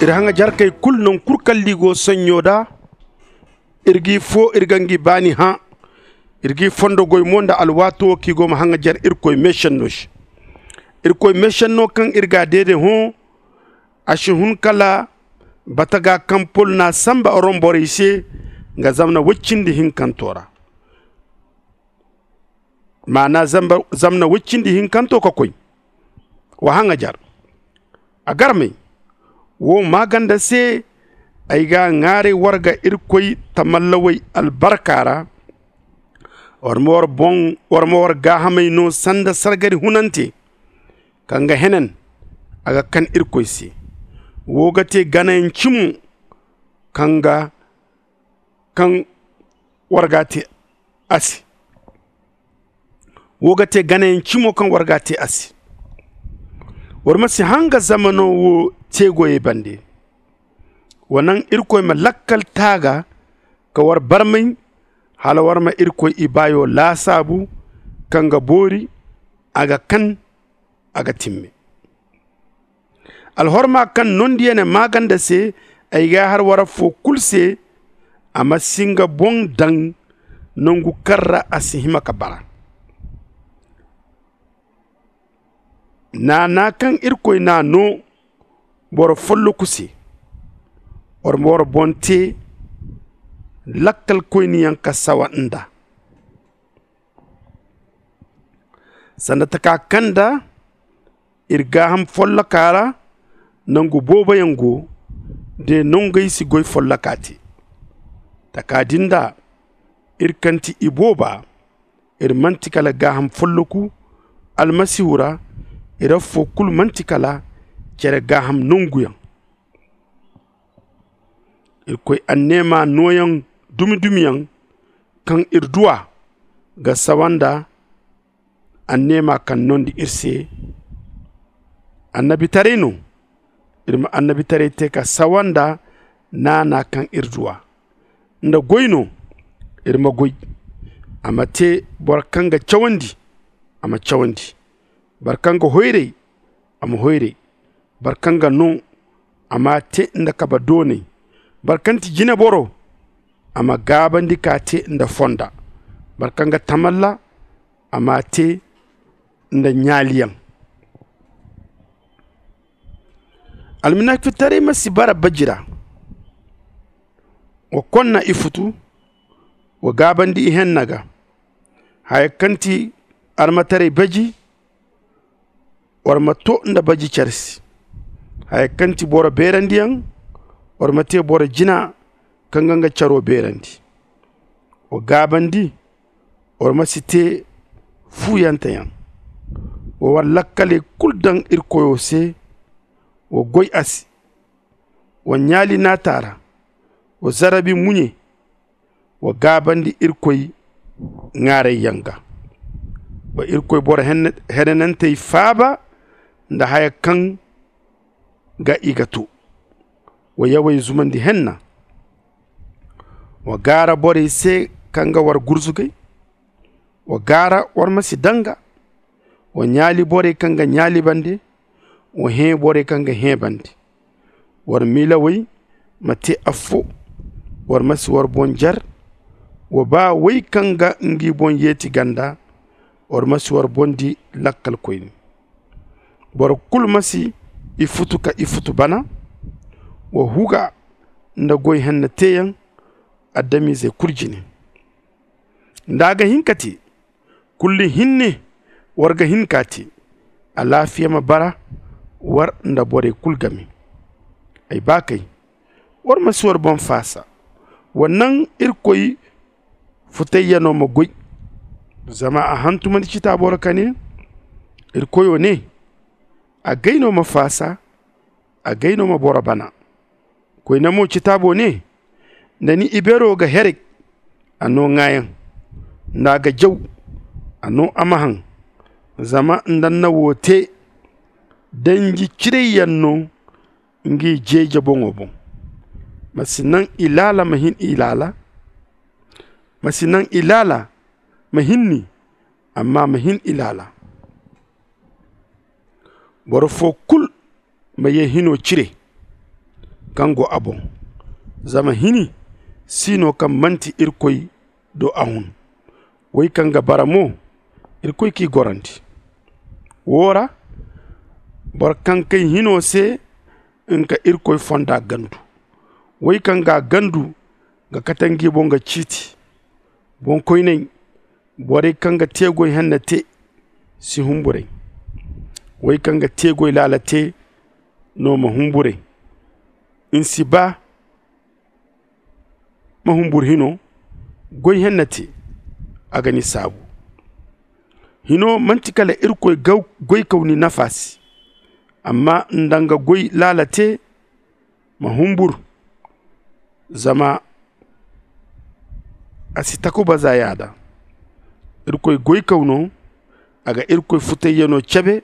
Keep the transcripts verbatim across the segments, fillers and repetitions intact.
Iri haŋajarkey kulu naŋ kulu kaŋ liigo saɲɲo da. Iri g'i foo iri ga ngi baani hã. Iri g'i fondo goy mo nda alwaato wo kaŋ i go ma haŋajar irkoy meesenno se. Irkoy meesenno kaŋ iri g'a deede hõ, a si hun kala bataga kaŋ pol n'a sanba rom borey se, nga zamna woy cindi hinkanto ra. Maana zamna woy cindi hinkanto ka koy. Wa haŋajar. A garmey, wo maaganda se ay g'a ŋwaaray war ga irkoy tamallawey albarka ra. War ma war gaahamey no sanda sargari hunante kaŋ ga henen a ga kan irkoy se. Wo ga te ganayaŋ cimo kaŋ ga kaŋ war g'a te a se. Wo ga te ganayaŋ cimo kaŋ war g'a te a se. War ma si hanga zamano wo te goyey bande. Wa naŋ irkoy ma lakkal taaga ka war barmay hala war ma irkoy ibaayo laasaabu kaŋ ga boori a ga kan a ga timme. Alhorma kaŋ nondiyane maaganda se ay g'a har war affoo kulu se. A ma si nga boŋ daŋ nangu kaŋ ra a si hima ka bara. Naana kaŋ irkoy n'a no boro folloku se. War ma war boŋ te lakkalkoyniyaŋ ka sawa nd'a. Sanda taka kaŋ nda iri gaaham folloka ra nangu booboyaŋ go. De nongey si goy folloka te taka din da iri kaŋ ti ibooba. Iri manti kala gaaham folloku almasihu ra. Iri affoo kulu manti kala cere gaaham nonguyaŋ. Irkoy anneema nooyaŋ dumi-dumiyaŋ kaŋ iri du a ga sawa nda anneema kaŋ nondi iri se. Annabitaray no. Iri ma annabitaray te ka sawa nda naana kaŋ iri du a nda goy no. Iri ma goy. A ma te boro kaŋ ga cawandi a ma cawandi. Boro kaŋ ga hoyray a ma hoyray. Boro kaŋ ga no a m'a te nda kabe doonay. Boro kaŋ ti jineboro a ma gaabandi k'a te nda fonda. Boro kaŋ ga tamalla a m'a te nda ɲaaliyaŋ. Alminakfitaray ma si bara baji ra. Wa konna ifutu. Wa gaabandi ihenna ga. Haya kaŋ ti armataray baji. War ma to nda baji care se. Haya kaŋ ti boro beerandiyaŋ. War ma te boro jina kaŋ ga nga caro beerandi. Wa gaabandi. War ma si te fuuyanteyaŋ. Wa war lakkaley kulu daŋ iri koyo se. Wa goy a se. Wa ɲaali naata ra. Wa zarabi muɲe. Wa gaabandi irkoy ŋaarayyaŋ ga. Wa irkoy boro henanantey faaba nda haya kaŋ ga i ga to. Wa yawey zumandi henna. Wa gaara borey se kaŋ ga war gurzugay. Wa gaara war ma si danga. Wa ɲaali borey kaŋ ga ɲaali bande. Wa hẽ borey kaŋ ga hẽ bande. War miilawey ma te affo. War ma si war boŋ jer. Wa ba wey kaŋ ga ngi boŋ yeeti ganda. War ma si war boŋ di lakkalkoyne. Boro kulu ma si ifutu ka ifutu bana. Wa huga nda goy henna teeyaŋ adamiizey kulu jine. Nda a ga hin ka te. Kulli hinne war ga hin k'a te. Alaafiya ma bara war nda borey kulu game. Ay baakey, war ma si war boŋ faasa. Wa naŋ irkoy futayyaŋo ma goy. Zama a hantumandi citaabo ra ka ne, irkoyo ne, agay no ma faasa. Agay no ma boro bana. Koyne mo citaabo ne, nda ni ibeero ga herek a no ŋaayaŋ. Nda a ga jaw a no a ma haŋ. Zama nda ni na wo te danji cirayyaŋ no ngi jeeje boŋo boŋ. Ma si naŋ ilaala ma hin ilaala. Ma si naŋ ilaala ma hin ni. Amma ma hin ilaala. Boro foo kulu ma ye hino cire. kaŋ go a boŋ. Zama hini si no kaŋ manti irkoy do a hun. Wey kaŋ ga bara mo, irkoy k'i gorandi. Wo ra boro kaŋ kay hino se nga ka irkoy fonda gandu. Wey kaŋ ga a gandu ga kate ngi boŋ ga ciiti. Boŋkoyney, borey kaŋ ga teegoy henna te si humburay. Wey kaŋ ga teegoy laala te no ma humburay. Ni si ba ma humbur hino goy henna te. A ga ni saabu. Hino manti kala irkoy goykaw ni nafa se. Amma nda nga goy laala te ma humbur. Zama a si takuba za yaada. Irkoy goykaw no. A ga irkoy futayyaŋo cebe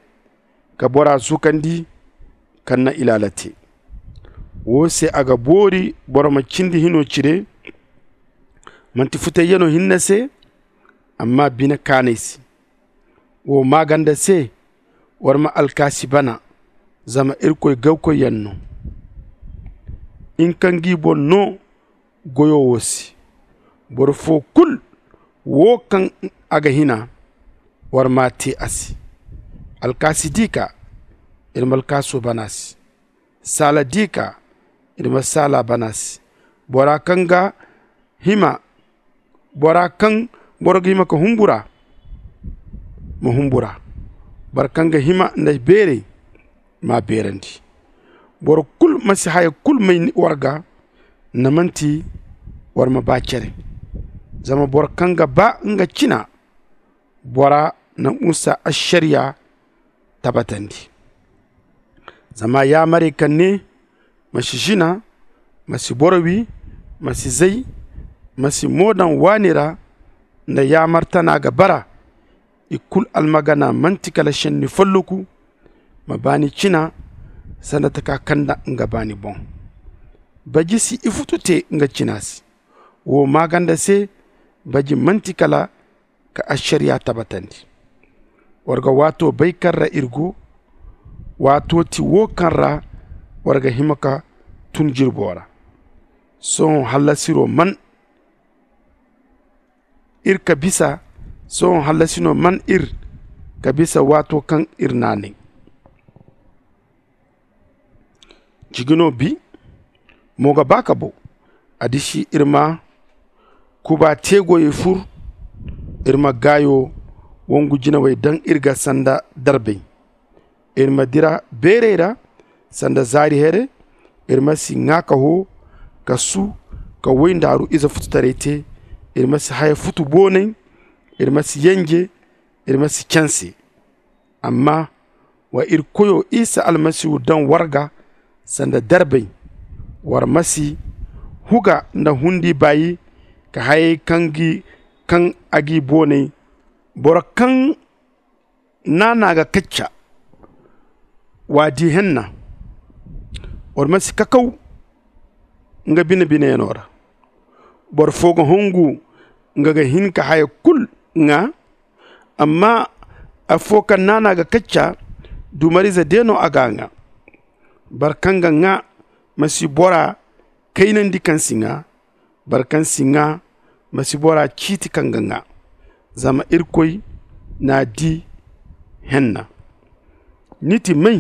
ka bora zukandi kaŋ na ilaala te. Wo se a ga boori boro ma cindi hino cire. Manti futayyaŋo hinne se amma bine kaanay se. Wo maaganda se war ma alkaasi bana. Zama irkoy gawkoyyaŋ no. Nga kaŋ g'i boŋ no goyo wo se. Boro fo kulu wo kaŋ a ga hina war m'a te a se. Alkaasi d'i ka ir ma alkaaso bana se. Saala d'i ka ir ma saala bana se. Bora kaŋ ga hima bora kaŋ boro ga hima ka humbura ma humbura. Boro kaŋ ga hima nda beeray m'a beerandi. Boro kulu ma si haya kulu may war ga nda manti war ma ba cere. Zama boro kaŋ ga ba nga cina bora na musa ašariya tabatandi. Zama yaamarey kaŋ ne ma si zina, ma si boro wi, ma si zay, ma si mo daŋ waani ra nda yaamar tana ga bara. I kulu almagana manti kala šenni folloku. Ma baani cina sanda taka kaŋ nda nga baani boŋ. Baji si ifutu te nga cina se. Wo maaganda se baji manti kala ka ašariya tabatandi. War ga waato bay kaŋ ra ir go. Waato ti wo kaŋ ra war ga hima ka tun jirbo ra. Sohõ hallasiro man ir ka bisa. Sohõ hallasino man ir ka bisa waato kaŋ ir naanay. Jigino bi mo ga ba ka bo. A disi ir ma kuba teegoyey fur. Ir ma gaayo wongu jinawey daŋ ir ga sanda darbey. Ir ma dira beerey ra sanda zaari here. Ir ma si ŋaa ka hoo ka su ka woy ndaaru ize fututaray te. Ir ma si haya futu boonay. Ir ma si yenje. Ir ma si canse. Amma wa ir koyo isa almasihu daŋ war ga sanda darbay. War ma si huga nda hundi baayi ka hayey kaŋ gi kaŋ a gi boonay. Boro kaŋ naana ga kacca wa di henna. War ma si kakaw nga bine-bineyano ra. Boro fo ga hongu nga ga hin ka haya kulu ŋaa. Amma affo kaŋ naana ga kacca dumarize de no a ga ŋaa. Boro kaŋ ga ŋaa ma si bora kaynandi kaŋ si ŋaa. Boro kaŋ si ŋaa ma si bora ciiti kaŋ ga ŋaa. Zama irkoy n'a di henna. Ni ti may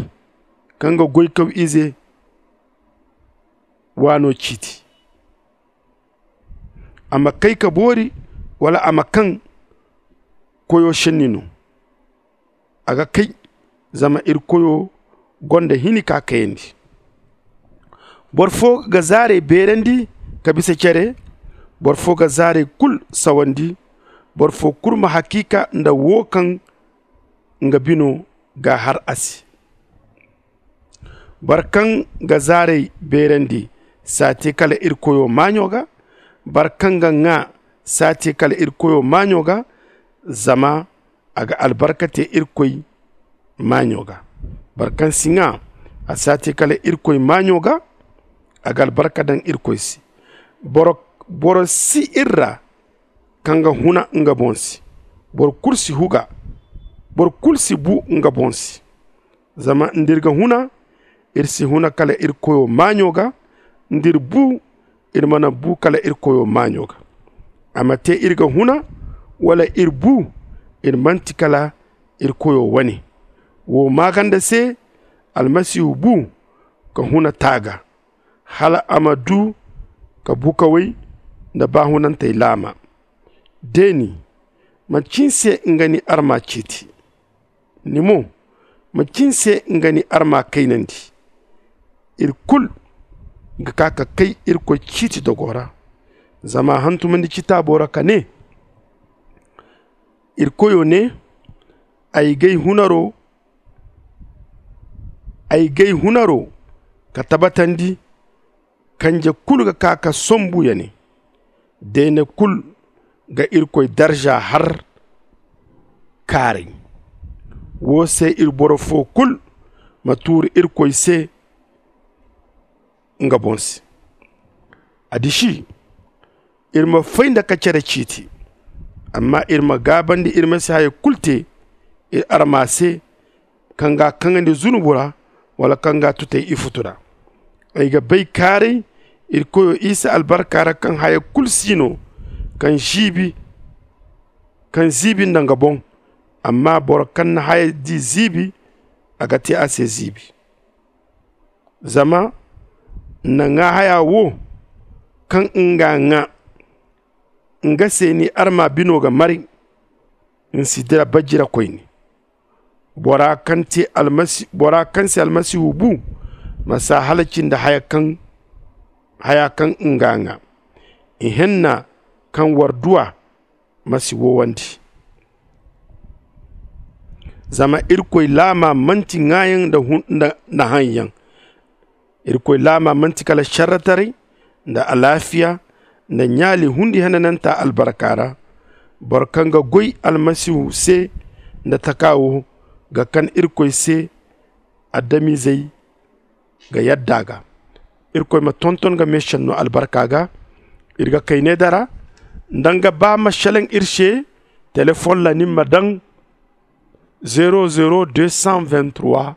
kaŋ ga goykaw ize waano ciiti? A ma kay ka boori wala a ma kaŋ koyo šenni no? A ga kay. Zama iri koyo gonda hini ka kayandi. Boro fo ga zaarey beerandi ka bisa cere. Boro fo ga zaarey kulu sawandi. Boro fo kulu ma hakiika nda wo kaŋ nga bino ga har a se. Boro kaŋ ga zaarey beerandi si a te kala iri koyo maaɲo ga. Boro kaŋ ga ŋaa si a te kala iri koyo maaɲo ga. Zama a ga albarka te irkoy maaɲo ga. Boro kaŋ si ŋaa a si a te kala irkoy maaɲo ga. A ga albarka daŋ irkoy se. Boro si iri ra kaŋ ga huna nga boŋ se. Boro kulu si huga. Boro kulu si bu nga boŋ se. Zama nda iri ga huna iri si huna kala iri koyo maaɲo ga. nda iri bu, iri mana bu kala iri koyo maaɲo ga. A ma te iri ga huna, wala iri bu, iri manti kala iri koyo wane. Wo maaganda se, almasihu bu ka huna taaga, hala a ma du ka bukawey nda baahunantey laama. Deeni, manci ni se nga ni arma ciiti? Ni mo, manci ni se nga ni arma kaynandi? Iri kulu ga ka ka kay irkoy ciiti dogo ra. Zama a hantumandi citaabo ra ka ne, iri koyo ne, ay g'ay hunaro ay g'ay hunaro ka tabatandi. Kanje kulu ga ka ka sombu ya ne, deene kulu ga irkoy darza har kaaray. Wo se iri boro fo kulu ma tuuri irkoy se nga boŋ se. A disi, iri ma fay nda ka cere ciiti, amma iri ma gaabandi iri ma si haya kulu te iri arma se, kaŋ ga kaŋandi zunubu ra, wala kaŋ ga tutay ifutu ra. Ay ga bay kaaray iri koyo isa albarka ra, kaŋ haya kulu si no kaŋ ziibi kaŋ ziibi nda nga boŋ. Amma boro kaŋ na haya di ziibi, a ga te a se ziibi. Zama nda ŋaa haya wo kaŋ nga ŋaa, nga se ni arma bino ga mari. Ni si dira bajira koyne. Bora kaŋ te almasi bora kaŋ se almasihu bu, ma s'a halaci nda haya kaŋ haya kaŋ nga ŋaa. Ihenna kaŋ war duw'a ma si wowandi. Zama irkoy laama manti ŋaayaŋ nda haŋyaŋ. Irkoy laama manti kala sarrataray nda alaafiya nda ɲaali hundi henananta albarka ra. Boro kaŋ ga goy almasihu se nda taka wo ga kan irkoy se. Adamizey ga yadda a ga. Irkoy ma tonton ga meesenno albarka ga. Iri ga kay ne dara nda nga ba ma selaŋ iri se. Telefoŋ ra ni ma daŋ zero zero deux cent vingt trois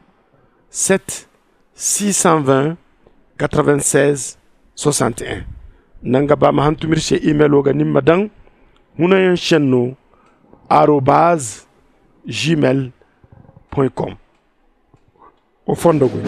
sept six cent vingt quatre vingt seize soixante et un. Nda nga ba ma hantum iri se imelo ga ni ma daŋ hunayaŋ senno arobaz gmail com. Wa fondo goy.